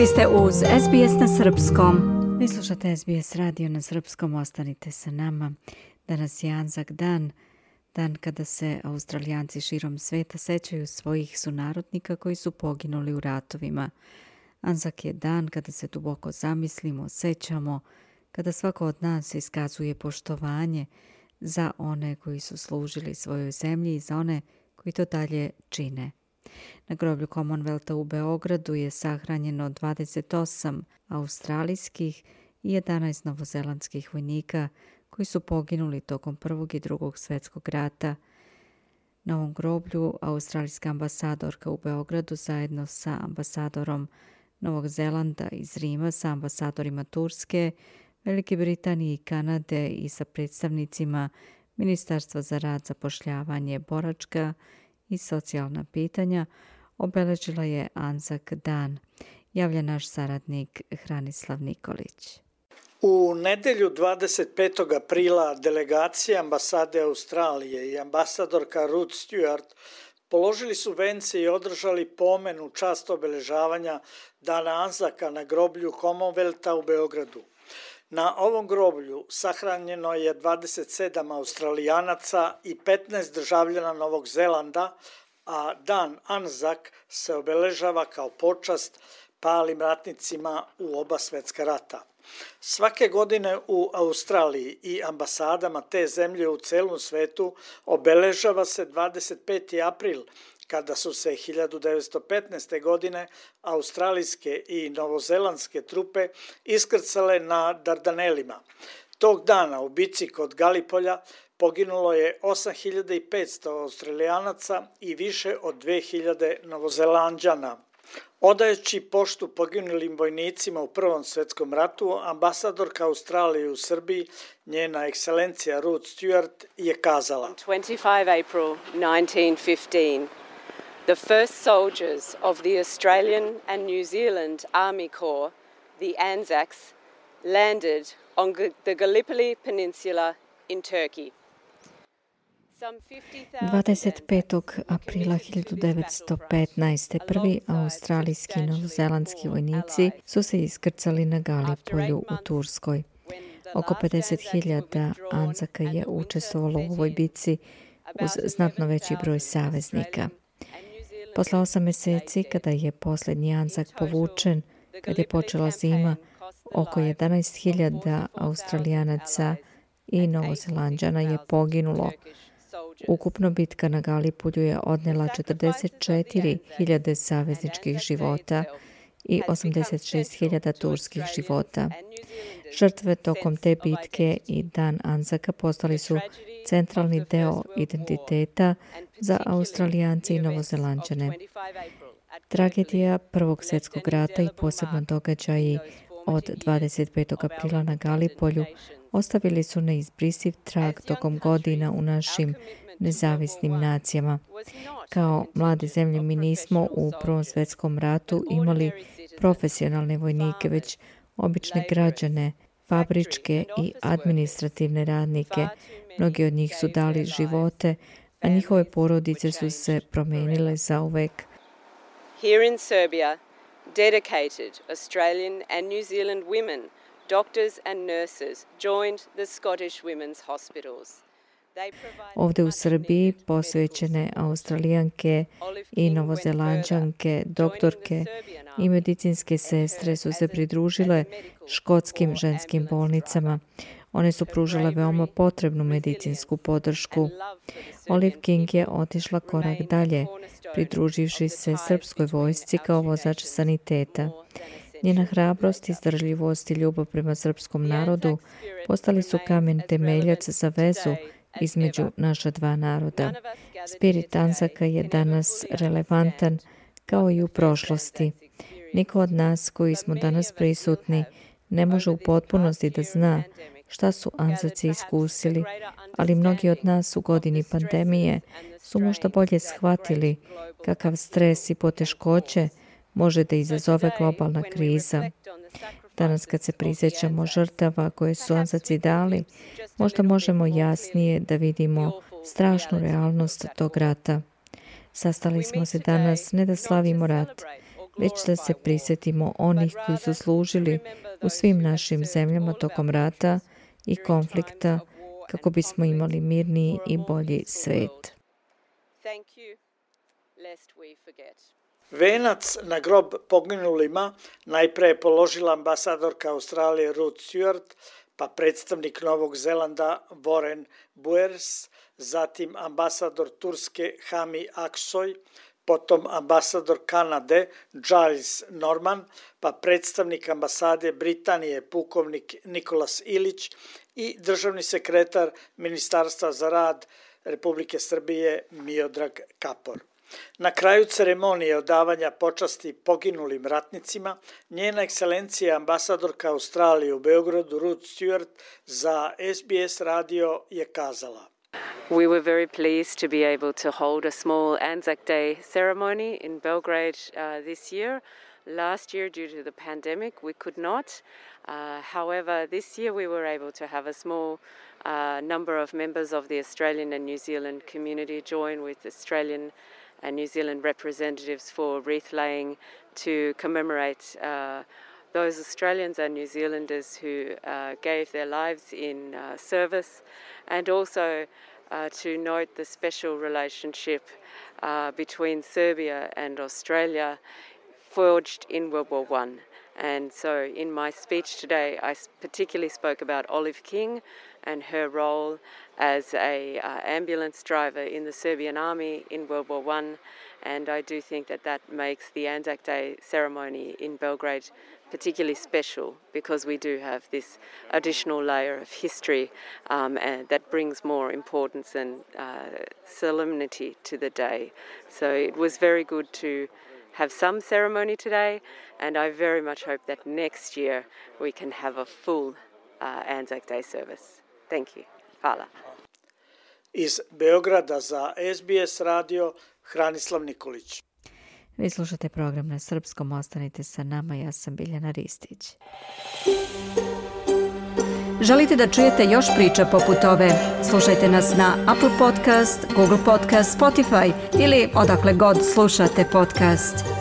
Vi ste uz SBS na Srpskom. Vi slušate SBS radio na Srpskom, ostanite sa nama. Danas je Anzac dan, dan kada se Australijanci širom sveta sećaju svojih sunarodnika koji su poginuli u ratovima. Anzac je dan kada se duboko zamislimo, sećamo, kada svako od nas iskazuje poštovanje za one koji su služili svojoj zemlji i za one koji to dalje čine. Na groblju Commonwealtha u Beogradu je sahranjeno 28 australijskih i 11 novozelandskih vojnika koji su poginuli tokom Prvog i Drugog svjetskog rata. Na ovom groblju australijska ambasadorka u Beogradu zajedno sa ambasadorom Novog Zelanda iz Rima, sa ambasadorima Turske, Velike Britanije i Kanade i sa predstavnicima Ministarstva za rad, zapošljavanje, boračka i socijalna pitanja obeležila je Anzac dan, javlja naš saradnik Hranislav Nikolić. U nedelju 25. aprila delegacija ambasade Australije i ambasadorka Ruth Stewart položili su vence i održali pomen u čast obeležavanja Dana Anzaca na groblju Commonwealtha u Beogradu. Na ovom groblju sahranjeno je 27 Australijanaca i 15 državljana Novog Zelanda, a Dan Anzac se obeležava kao počast palim ratnicima u oba svjetska rata. Svake godine u Australiji i ambasadama te zemlje u celom svetu obeležava se 25. april, kada su se 1915. godine australijske i novozelandske trupe iskrcale na Dardanelima. Tog dana u bici kod Galipolja poginulo je 8500 Australijanaca i više od 2000 Novozelanđana. Odajući poštu poginulim vojnicima u Prvom svjetskom ratu, ambasadorka Australije u Srbiji, njena ekscelencija Ruth Stewart, je kazala: 25 April 1915, the first soldiers of the Australian and New Zealand Army Corps, the Anzacs, landed on the Gallipoli Peninsula in Turkey. 25. aprila 1915. prvi australijski i novozelandski vojnici su se iskrcali na Galipolju u Turskoj. Oko 50.000 Anzaca je učestvovalo u ovoj bici uz znatno veći broj saveznika. Posle 8 mjeseci, kada je posljednji Anzac povučen, kad je počela zima, oko 11.000 Australijanaca i Novozelanđana je poginulo. Ukupno bitka na Galipolju je odnela 44.000 savezničkih života i 86.000 turskih života. Žrtve tokom te bitke i Dan Anzaca postali su centralni deo identiteta za Australijance i Novozelanđane. Tragedija Prvog svjetskog rata i posebno događaji od 25. aprila na Galipolju ostavili su neizbrisiv trag tokom godina u našim nezavisnim nacijama. Kao mlade zemlje mi nismo u Prvom svjetskom ratu imali profesionalne vojnike, već obične građane, fabričke i administrativne radnike. Mnogi od njih su dali živote, a njihove porodice su se promijenile zauvek. Here in Serbia, dedicated Australian and New Zealand women, doctors and nurses joined the Scottish Women's Hospitals. Ovdje u Srbiji posvećene Australijanke i Novozelanđanke, doktorke i medicinske sestre su se pridružile škotskim ženskim bolnicama. One su pružile veoma potrebnu medicinsku podršku. Olive King je otišla korak dalje, pridruživši se srpskoj vojsci kao vozač saniteta. Njena hrabrost, izdržljivost i ljubav prema srpskom narodu postali su kamen temeljac za vezu između naša dva naroda. Spirit Anzaca je danas relevantan kao i u prošlosti. Niko od nas koji smo danas prisutni ne može u potpunosti da zna šta su Anzaci iskusili, ali mnogi od nas u godini pandemije su možda bolje shvatili kakav stres i poteškoće može da izazove globalna kriza. Danas kad se prisjećamo žrtava koje su Anzaci dali, možda možemo jasnije da vidimo strašnu realnost tog rata. Sastali smo se danas ne da slavimo rat, već da se prisjetimo onih koji su služili u svim našim zemljama tokom rata i konflikta kako bismo imali mirniji i bolji svet. Venac na grob poginulima najpre je položila ambasadorka Australije Ruth Stewart, pa predstavnik Novog Zelanda Warren Buers, zatim ambasador Turske Hami Aksoy, potom ambasador Kanade Giles Norman, pa predstavnik ambasade Britanije pukovnik Nikolas Ilić i državni sekretar Ministarstva za rad Republike Srbije Miodrag Kapor. Na kraju ceremonije odavanja počasti poginulim ratnicima, njena ekscelencija ambasadorka Australije u Beogradu Ruth Stewart za SBS radio je kazala: We were very pleased to be able to hold a small Anzac Day ceremony in Belgrade this year. Last year, due to the pandemic, we could not. However, this year we were able to have a small number of members of the Australian and New Zealand community join with Australian and New Zealand representatives for wreath laying to commemorate those Australians and New Zealanders who gave their lives in service, and also to note the special relationship between Serbia and Australia forged in World War I. And so in my speech today, I particularly spoke about Olive King and her role as a ambulance driver in the Serbian army in World War I. And I do think that that makes the Anzac Day ceremony in Belgrade particularly special, because we do have this additional layer of history and that brings more importance and solemnity to the day. So it was very good to have some ceremony today, and I very much hope that next year we can have a full Anzac Day service. Thank you. Hvala. Iz Beograda za SBS radio Hranislav Nikolić. Vi slušate program na srpskom, ostanite sa nama, ja sam Biljana Ristić. Želite da čujete još priča poput ove? Slušajte nas na Apple Podcast, Google Podcast, Spotify ili odakle god slušate podcast.